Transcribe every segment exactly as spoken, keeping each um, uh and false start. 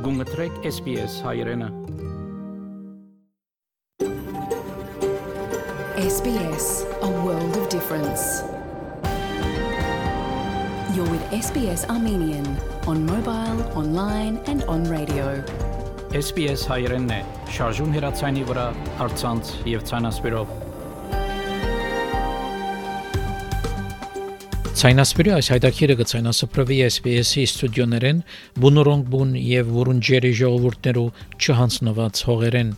Գունգտրեք S B S հայրենը S B S, a world of difference. You're with S B S Armenian on mobile, online and on radio. S B S հայրենն է, շարժուն հեռացանի վրա, առցանց և ցանասպիրով։ Ցայնասպիրի այս հայտակիրը կցայնասպրվի S B S-ի ստուդիոներեն, բունորոնք բուն և վուրունջերի ժողովուրդներու չհանձնված հողերեն։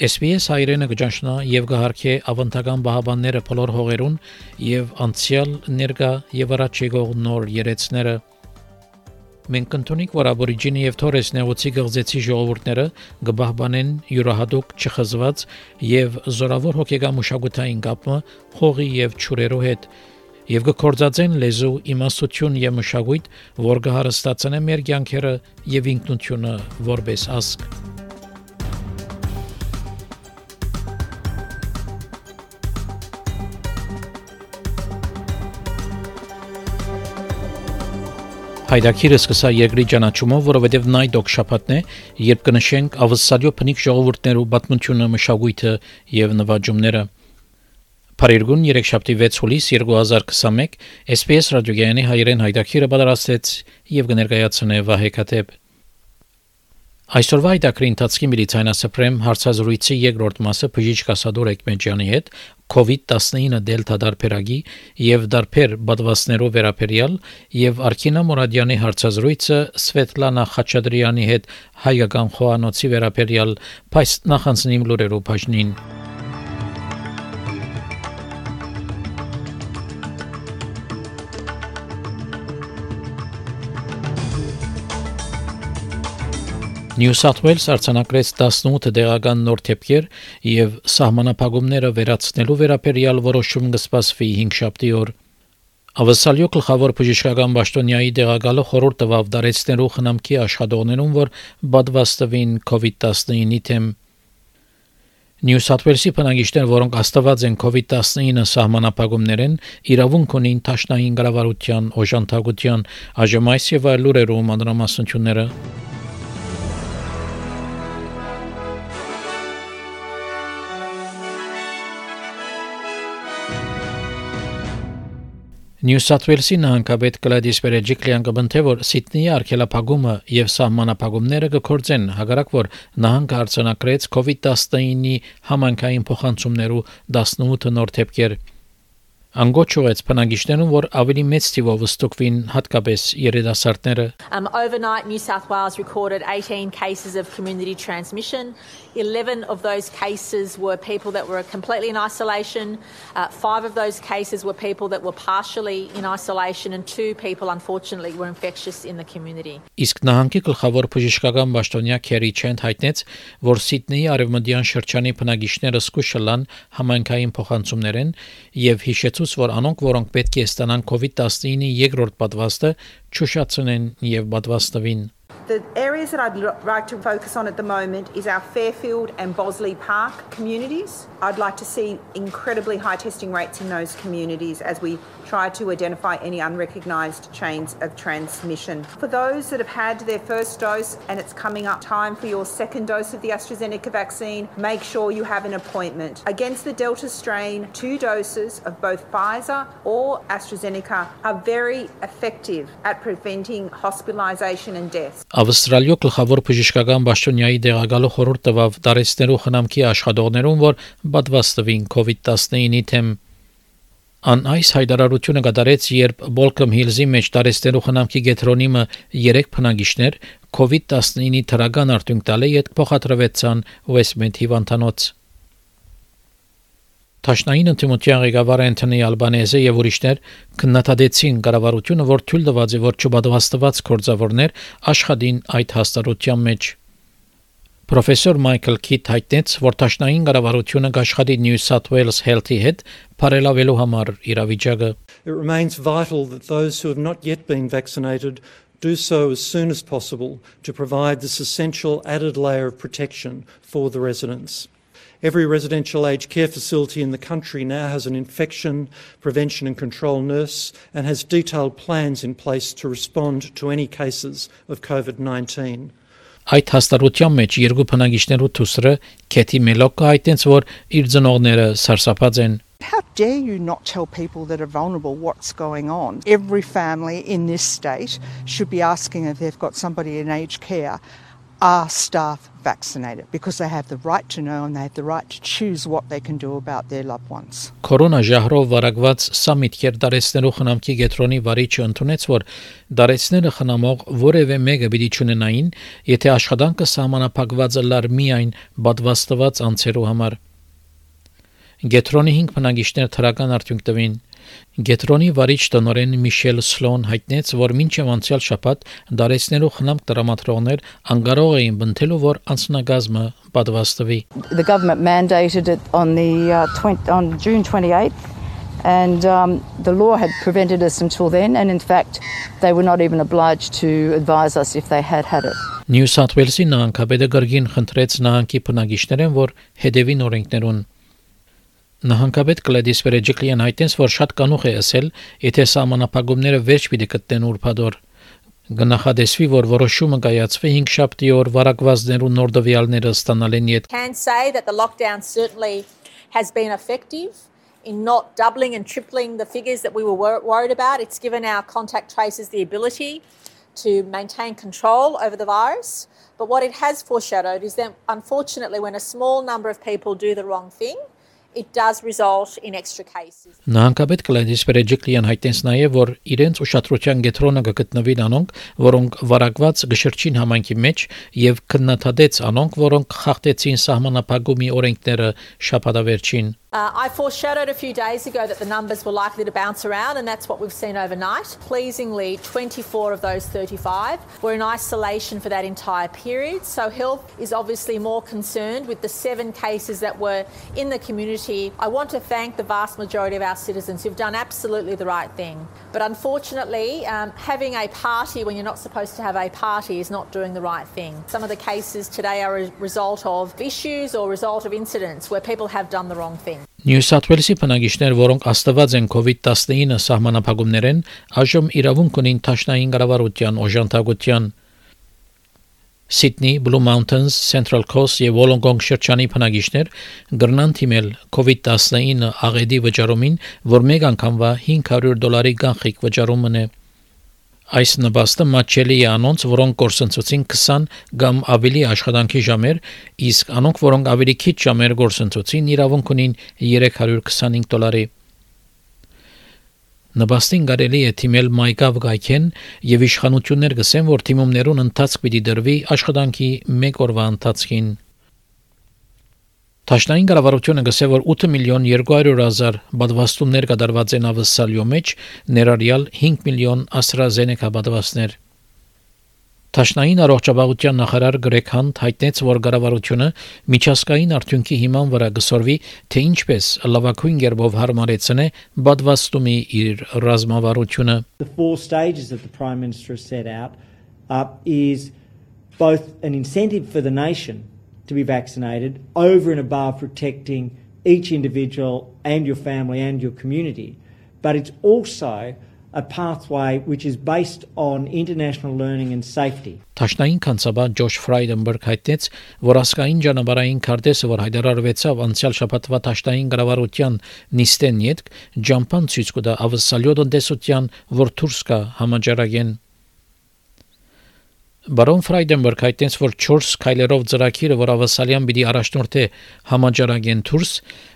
S B S հայրենը կճանչնա և կհարկե ավանդական բահաբանները բոլոր հողերուն և անցյալ ներկա և առաջ եկող նոր երեցները։ Մենք կընդունենք, որ աբորիջինի և թորես նեղուցի գղձեցի ժողովուրդները կբահբանեն յուրահատուկ չխզված և զորավոր հոգեկան մշակութային կապը հողի և ջուրերու հետ և կկործածեն լեզու, իմաստություն և մշակույթ, որ կհարստացնե մեր կյանքերը և ինքնությունը որպես ազգ։ Հայդակիրը սկսա երկրի ճանաչումով, որովհետև նա այդ օգշապատն է, երբ կնշենք ավսալյո փնիկ ժողովուրդներու պատմությունը, մշակույթը և նվաճումները։ Փարիգուն երեքշաբթի վեց հուլիս երկու հազար քսաներկու S B S ռադիոգայանի հայրեն հայդակիրը պատրաստեց և կներկայացնե Վահե Քաթեբ։ Այսօրվա հայդակրի ընթացքի միլիցայնասպրեմ հարցազրույցի երկրորդ մասը բժիշկ Ասադոր Էկմեջյանի հետ COVID nineteen դելտա դարբերագի և դարբեր պատվաստներով վերաբերյալ և Արքինա Մուրադյանի հարցազրույցը Սվետլանա Խաչատրյանի հետ հայկական խոհանոցի վերաբերյալ, բայց նախանցնիմ լուրերով բաժնին։ Նյու Սաութ Ուելս արձանագրեց տասնութ դեղական նոր թեփքեր և սահմանափակումները վերացնելու վերաբերյալ որոշում կսպասվի հինգշաբթի օր։ Ավսալյո գլխավոր բժշկական պաշտոնյայի տեղակալը խորհուրդ տվավ դարեցնելու խնամքի աշխատողներուն, որ պատվաստվին COVID nineteen-ի թեմ։ Նյու Սաութ Ուելսի բնակիչներ, որոնք աստված են COVID nineteen սահմանափակումներեն, իրավունք ունին դաշնային կառավարության օժանդակության, այժմ այս եւ այլ լուրերով մանրամասնությունները։ Նյու Սաութ Ուելսի նահանգապետ Գլադիս Բերեջիկլյան կբնթե, որ Սիդնեի արգելափակումը և սահմանափակումները կգործեն, հակառակ որ նահանգը արձանագրեց COVID nineteen-ի համայնքային փոխանցումներու տասնութ նոր թեփքեր։ Անգոչ ուղեց բնակիչներուն, որ ավելի մեծ թիվով ստուգվին հատկապես երիտասարդները։ Um, overnight, New South Wales recorded eighteen cases of community transmission. eleven of those cases were people that were completely in isolation. Uh, five of those cases were people that were partially in isolation, and two people, unfortunately, were infectious in the community. Իսկ նահանգի գլխավոր բժշկական պաշտոնյա Քերի Չենթ հայտնեց, որ Սիդնեի արևմտյան շրջանի բնակիչները զգուշալան համայնքային փոխանցումներեն եւ հիշեցուց, որ անոնք, որոնք պետք է ստանան COVID nineteen-ի երկրորդ պատվաստը, չուշացնեն եւ պատվաստվին։ The areas that I'd like to focus on at the moment is our Fairfield and Bosley Park communities. I'd like to see incredibly high testing rates in those communities as we try to identify any unrecognised chains of transmission. For those that have had their first dose and it's coming up time for your second dose of the AstraZeneca vaccine, make sure you have an appointment. Against the Delta strain, two doses of both Pfizer or AstraZeneca are very effective at preventing hospitalisation and death. Ավստրալիո գլխավոր բժշկական պաշտոնյայի տեղակալը խորհուրդ տվավ դարեցնելու խնամքի աշխատողներուն, որ պատվաստվին COVID nineteen-ի թեմ։ Ան այս հայտարարությունը կատարեց, երբ Բոլքոմ Հիլզի մեջ դարեցնելու խնամքի գետրոնիմը երեք բնակիչներ COVID nineteen-ի թրական արդյունք տալը յետ փոխադրվեցան Westmead հիվանդանոց։ Տաշնային ընդդիմության ղեկավար Անթոնի Ալբանեզը եւ ուրիշներ քննադատեցին կառավարությունը, որ թույլ տված է, որ չպատվաստված գործավորներ աշխատին այդ հաստատության մեջ։ Պրոֆեսոր Մայքլ Քիթ հայտնեց, որ տաշնային կառավարությունը կաշխատի New South Wales Health-ի հետ բարելավելու համար իրավիճակը։ It remains vital that those who have not yet been vaccinated do so as soon as possible to provide this essential added layer of protection for the residents. Every residential aged care facility in the country now has an infection prevention and control nurse and has detailed plans in place to respond to any cases of COVID nineteen. Այդ հաստատության մեջ երկու բնակիչներու թուսրը Քեթի Մելոկը հայտնեց, որ իր ծնողները սարսափած են. How dare you not tell people that are vulnerable what's going on? Every family in this state should be asking if they've got somebody in aged care, are staff vaccinated? Because they have the right to know and they have the right to choose what they can do about their loved ones. Կորոնա ժահրով վարակված սամիթքեր դարեցնելու խնամքի գետրոնի վարիչը ընդունեց, որ դարեցները խնամող որևէ մեկը պիտի չունենային, եթե աշխատանքը սահմանափակված լար միայն պատվաստված անձերու համար. Գետրոնի հինգ բնակիչներ թրական արդյունք տվին. Գետրոնի վարիչ տնօրեն Միշել Սլոն հայտնեց, որ մինչև անցյալ շաբաթ դարեցնելու խնամք տրամադրողներ անկարող էին բնթելու, որ անձնագազմը պատվաստվի. The government mandated it on the uh, twenty, on June twenty-eighth, and um, the law had prevented us until then, and in fact they were not even obliged to advise us if they had had it. Նյու Սաութ Ուելսի նահանգապետը գրգին խնդրեց նահանգի բնակիչներեն, որ հետևին օրենքներուն. Նահանգապետ Գլեդիս Վերեջիկլիան հայտնեց, որ շատ կանուխ է ասել, եթե սահմանափակումները վերջ պիտի գտնեն ուրբաթօր. Գնահատեսվի, որ որոշումը կայացվի հինգ շաբթի օր վարակվածներու նոր դվյալները ստանալեն յետ. Can say that the lockdown certainly has been effective in not doubling and tripling the figures that we were wor- worried about. It's given our contact tracers the ability to maintain control over the virus. But what it has foreshadowed is that unfortunately when a small number of people do the wrong thing, it does result in extra cases. Նահանգապետ Գլեդիս Վերեջիկլիան հայտնեց նաև, որ իրենց ուշադրության կենտրոնը կգտնվի անոնք, որոնք վարակված գշրջին համայնքի մեջ եւ քննադատեց անոնք, որոնք խախտեցին սահմանափակումի օրենքները շաբաթավերջին. Uh, I foreshadowed a few days ago that the numbers were likely to bounce around, and that's what we've seen overnight. Pleasingly, twenty-four of those thirty-five were in isolation for that entire period. So health is obviously more concerned with the seven cases that were in the community. I want to thank the vast majority of our citizens who've done absolutely the right thing. But unfortunately, um, having a party when you're not supposed to have a party is not doing the right thing. Some of the cases today are a result of issues or result of incidents where people have done the wrong thing. Նյու Սաութ Ուելսի բնակիչներ, որոնք աստված են COVID nineteen սահմանափակումներեն, այժմ իրավունք ունին տաշնային կառավարության օժանդակության. Sydney, Blue Mountains, Central Coast եւ Wollongong շրջանի բնակիչներ գրնան թիմել COVID nineteen աղեդի վճարումին, որ մեկ անգամվա հինգ հարյուր դոլարի կանխիկ վճարումն է. Այս նպաստը մատչելի է անոնց, որոնք գործընծուցին քսան կամ ավելի աշխատանքի ժամեր, իսկ անոնք, որոնք ավելի քիչ ժամեր գործընծուցին, իրավունք ունին երեք հարյուր քսանհինգ դոլարի. Նպաստին կարելի է թիմել MyGov գայքեն եւ իշխանություններ գսեն, որ թիմումներուն ընթացք պիտի դրվի աշխատանքի մեկ օրվա ընթացքին. Տաշնային կառավարությունը գսե, որ ութ միլիոն երկու հարյուր հազար պատվաստումներ կատարված են ավսալյո մեջ, ներառյալ հինգ միլիոն AstraZeneca պատվաստներ. Տաշնային առողջապահության նախարար Գրեգ Հանտ հայտնեց, որ կառավարությունը միջազգային արդյունքի հիման վրա գսորվի, թե ինչպես լավագույն կերպով հարմարեցնե պատվաստումի իր ռազմավարությունը. The four stages that the Prime Minister has set out uh, is both an incentive for the nation to be vaccinated over and above protecting each individual and your family and your community. But it's also a pathway which is based on international learning and safety. Տաշնային կանցաբան Ջոշ Ֆրայդենբերգ հայտնեց, որ ասկային ճանապարհային քարտեզը, որ հայտարարվեցավ անցյալ շաբաթվա տաշնային կառավարության նիստեն յետք, ջամփան ցույց կտա ավսալյո տնտեսության, որ դուրս կա համաճարակեն. Բարոն Ֆրայդենբերգ հայտնեց, որ չորս քայլերով ծրագիրը, որ ավասալյան պիտի առաջնորդե համաճարակեն դուրս,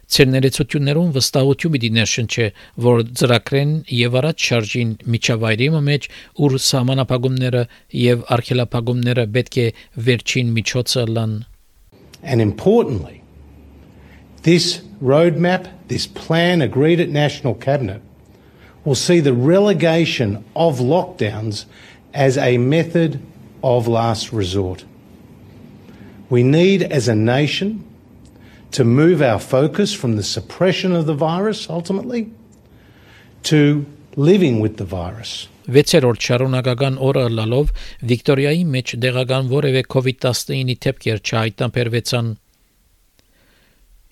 ցերներեցություններուն վստահություն պիտի ներշնչի, որ ծրագրեն եւ առաջ շարժին միջավայրի մեջ, ուր սահմանափակումները եւ արգելափակումները պետք է վերջին միջոցը լան. And importantly, this roadmap, this plan agreed at National Cabinet will see the relegation of lockdowns as a method of last resort. We need, as a nation, to move our focus from the suppression of the virus, ultimately, to living with the virus. Վեցերորդ շարունակական օրը լալով Վիկտորիայի մեջ դեղական որևէ COVID nineteen-ի թեփքեր չհայտնաբերվեցան.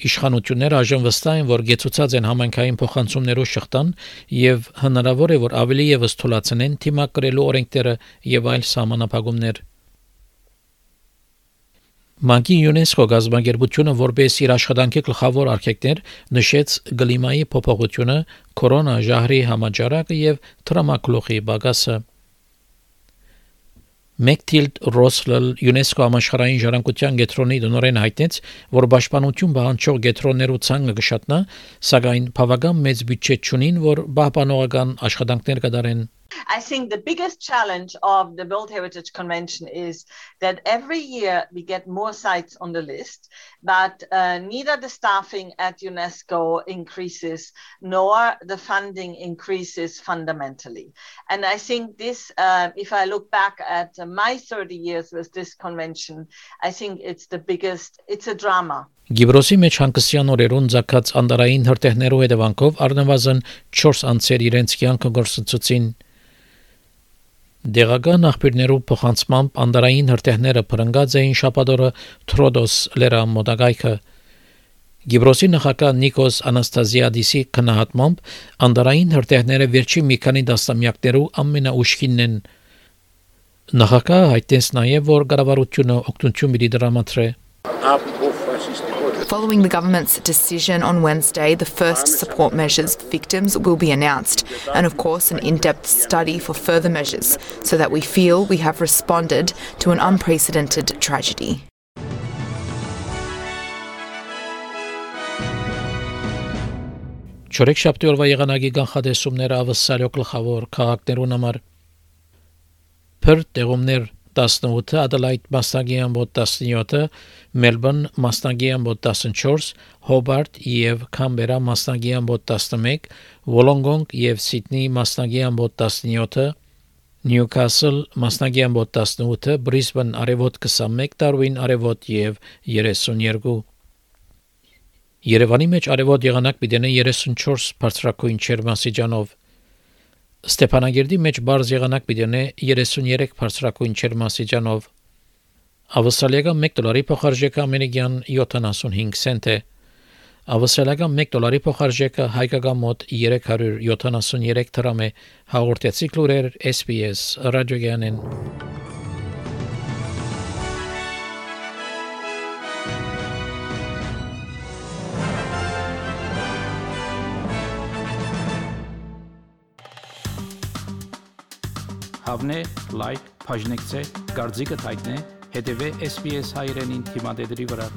Իշխանությունները այժմ վստահ են, որ գեցուցած են համայնքային փոխանցումներով շղթան եւ հնարավոր է, որ ավելի եւս թույլատնեն թիմակրելու օրենքները եւ այլ սահմանափակումներ։ Մանկի ՅՈՒՆԵՍԿՕ գազագերբությունը որպես իր աշխատանքի գլխավոր արգելքներ նշեց գլիմայի փոփոխությունը, կորոնա ժահրի համաճարակը եւ տրամակլոխի բագասը։ Մեկտիլդ Ռոսլել ՅՈՒՆԵՍԿՕ համաշխարհային ժառանգության գետրոնի դնորեն հայտնեց, որ պաշտպանություն պահանջող գետրոններու ցանկը կշատնա, սակայն բավական մեծ բյուջե չունին, որ պահպանողական աշխատանքներ կդարեն։ I think the biggest challenge of the World Heritage Convention is that every year we get more sites on the list, but uh, neither the staffing at UNESCO increases nor the funding increases fundamentally. And I think this, uh, if I look back at uh, my thirty years with this convention, I think it's the biggest, it's a drama. Գիբրոսի մեջ հանգստյան օրերուն ցակած անդարային հրթեհներու հետևանքով առնվազն չորս անձեր իրենց կյանքը գործընծուցին։ Դեղական աղբյուրներու փոխանցմամբ անդարային հրթեհները փրկած էին շաբաթօրը Թրոդոս լեռամոտակայքը։ Գիբրոսի նախագահ Նիկոս Անաստազիադիսի քննադատմամբ անդարային հրթեհները վերջին մի քանի դասամյակներու ամենաուշքինն են։ Նախագահը հայտնեց նաև, որ կառավարությունը օգնություն պիտի դրամատրե։ Following the government's decision on Wednesday, the first support measures for victims will be announced, and of course an in-depth study for further measures, so that we feel we have responded to an unprecedented tragedy. Չորեքշաբթի օրվա եղանակի կանխատեսումները ավսալյո գլխավոր քաղաքներուն համար Perth տեղումներ տասնութ, Adelaide մասնագի ամբոտ տասնյոթ, Melbourne մասնագի ամբոտ տասնչորս, Hobart եւ Canberra մասնագի ամբոտ տասնմեկ, Wollongong եւ Sydney մասնագի ամբոտ տասնյոթ, Newcastle մասնագի ամբոտ տասնութ, Brisbane արևոտ քսանմեկ, Darwin արևոտ եւ երեսունյոթ։ Երևանի մեջ արևոտ եղանակ պիտի երեսունչորս բարձրակույն ջերմաստիճանով։ Ստեփանագերդի մեջ բարձ եղանակ պիտի երեսունյոթ բարձրակույն ջերմաստիճանով։ Ավստրալիական մեկ դոլարի փոխարժեքը ամերիկյան յոթանասունհինգ سنت է։ Ավստրալիական մեկ դոլարի փոխարժեքը հայկական մոտ երեք հարյուր յոթանասունյոթ դրամ է։ Հաղորդեցի լուրեր S B S ռադիոգյանեն։ Հավնե, լայք, բաժնեկցե, դարձիկը թայտնե, հետևե S B S հայրենին թիմադեդրի վրա։